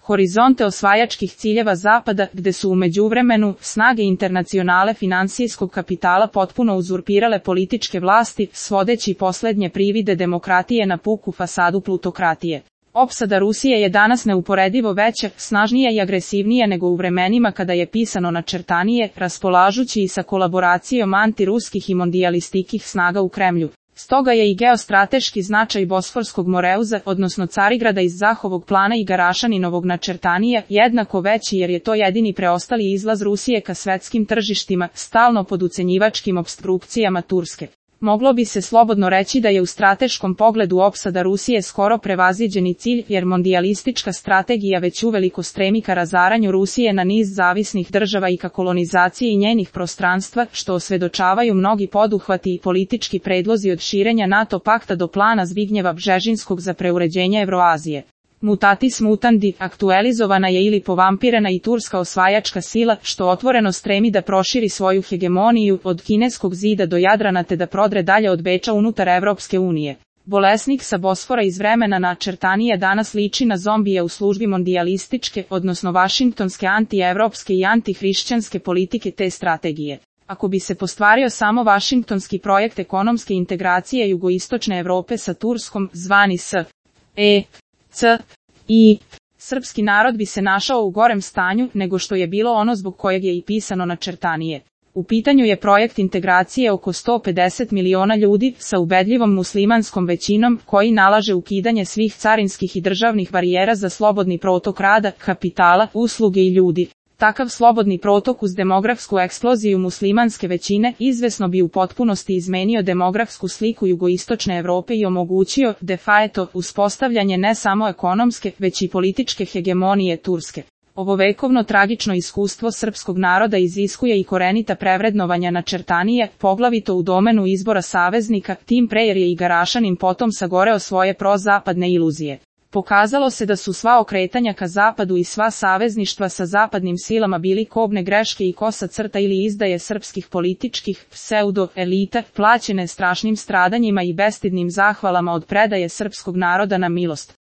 horizonte osvajačkih ciljeva Zapada, gde su u međuvremenu snage internacionale finansijskog kapitala potpuno uzurpirale političke vlasti, svodeći poslednje privide demokratije na puku fasadu plutokratije. Opsada Rusije je danas neuporedivo veća, snažnija i agresivnija nego u vremenima kada je pisano načrtanije, raspolažući i sa kolaboracijom antiruskih i mondijalističkih snaga u Kremlju. Stoga je i geostrateški značaj Bosforskog Moreuza, odnosno Carigrada iz Zahovog plana i Garašaninovog načrtanija, jednako veći jer je to jedini preostali izlaz Rusije ka svetskim tržištima, stalno pod ucenjivačkim opstrukcijama Turske. Moglo bi se slobodno reći da je u strateškom pogledu opsada Rusije skoro prevaziđeni cilj, jer mondijalistička strategija već uveliko stremi ka razaranju Rusije na niz zavisnih država i ka kolonizaciji njenih prostranstva, što osvedočavaju mnogi poduhvati i politički predlozi od širenja NATO pakta do plana Zbignjeva Bžežinskog za preuređenje Evroazije. Mutatis mutandi, aktualizovana je ili povampirena i turska osvajačka sila, što otvoreno stremi da proširi svoju hegemoniju od kineskog zida do Jadrana te da prodre dalje od Beča unutar Evropske unije. Bolesnik sa Bosfora iz vremena načrtanije danas liči na zombije u službi mondijalističke, odnosno vašingtonske antievropske i antihrišćanske politike te strategije. Ako bi se postvario samo vašingtonski projekt ekonomske integracije jugoistočne Evrope sa Turskom, zvani srpski narod bi se našao u gorem stanju nego što je bilo ono zbog kojeg je i pisano načrtanije. U pitanju je projekt integracije oko 150 miliona ljudi sa ubedljivom muslimanskom većinom koji nalaže ukidanje svih carinskih i državnih barijera za slobodni protok rada, kapitala, usluge i ljudi. Takav slobodni protok uz demografsku eksploziju muslimanske većine izvesno bi u potpunosti izmenio demografsku sliku jugoistočne Evrope i omogućio, de facto, uspostavljanje ne samo ekonomske, već i političke hegemonije Turske. Ovo vekovno tragično iskustvo srpskog naroda iziskuje i korenita prevrednovanja načrtanije, poglavito u domenu izbora saveznika, tim pre jer je i Garašanin potom sagoreo svoje prozapadne iluzije. Pokazalo se da su sva okretanja ka zapadu i sva savezništva sa zapadnim silama bili kobne greške i kosa crta ili izdaje srpskih političkih pseudo-elita, plaćene strašnim stradanjima i bestidnim zahvalama od predaje srpskog naroda na milost.